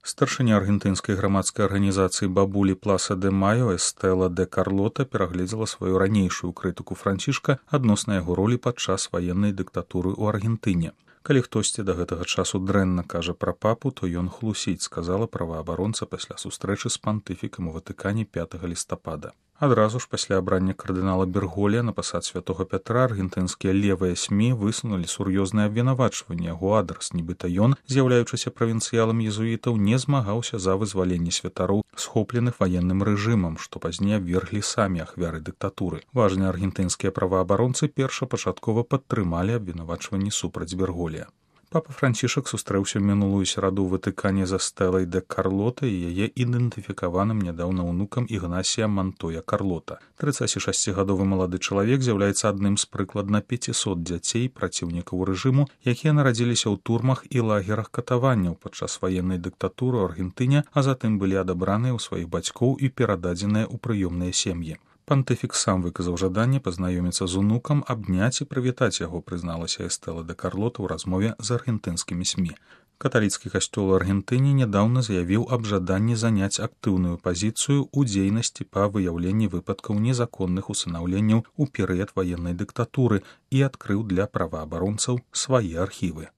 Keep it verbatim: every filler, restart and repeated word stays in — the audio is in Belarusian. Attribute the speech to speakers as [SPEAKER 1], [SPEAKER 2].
[SPEAKER 1] Старшыня аргентынскай грамадскай арганізацыі «Бабулі Пласа де Майо» Эстела де Карлота перагледзела сваю ранейшую крытыку Францішка адносна яго ролі падчас ваеннай дыктатуры ў Аргентыне. Калі хтосьці да гэтага часу дрэнна кажа пра папу, то ён хлусіць, сказала праваабаронца пасля сустрэчы з пантыфікам у Ватыкане пятага лістапада. Адразу ж пасля абрання кардынала Бергголія на пасад святога Пятра аргентынскія левыя СМІ высунулі сур'ёзнае абвінавачванне яго адрас, нібыта ён, з'яўляючыся правінцыялам езуітаў, не змагаўся за вызваленне святароў, схопленых ваенным рэжымам, што пазней абверглі самі ахвяры дыктатуры. Важныя аргентынскія праваабаронцы першапачаткова падтрымалі абвінавачванні супраць Бергголія. Папа Францішак сустрэўся мінулую сераду ў Ватыкане за Стэлай де Карлота і яе ідэнтыфікаваным нядаўна ўнукам Ігнасія Мантоя Карлота. трыццацігадовы малады чалавек з'яўляецца адным з прыкладна пяцісот дзяцей праціўнікаў рэжыму, якія нарадзіліся ў турмах і лагерах катаванняў падчас ваеннай дыктатуры ў Аргентыне, а затым былі адабраныя ў сваіх бацькоў і перададзеныя ў прыёмныя сем'і. Пантыфік сам выказаў жаданне пазнаёміцца з унукам, абняць і прывітаць яго, прызналася Эстела де Карлота ў размове з аргентынскімі СМІ. Каталіцкі касцёл у Аргентыне нядаўна заявіў аб жаданні заняць актыўную пазіцыю ў дзейнасці па выяўленні выпадкаў незаконных усынаўленняў у перыяд ваеннай дыктатуры і адкрыў для праваабаронцаў свае архівы.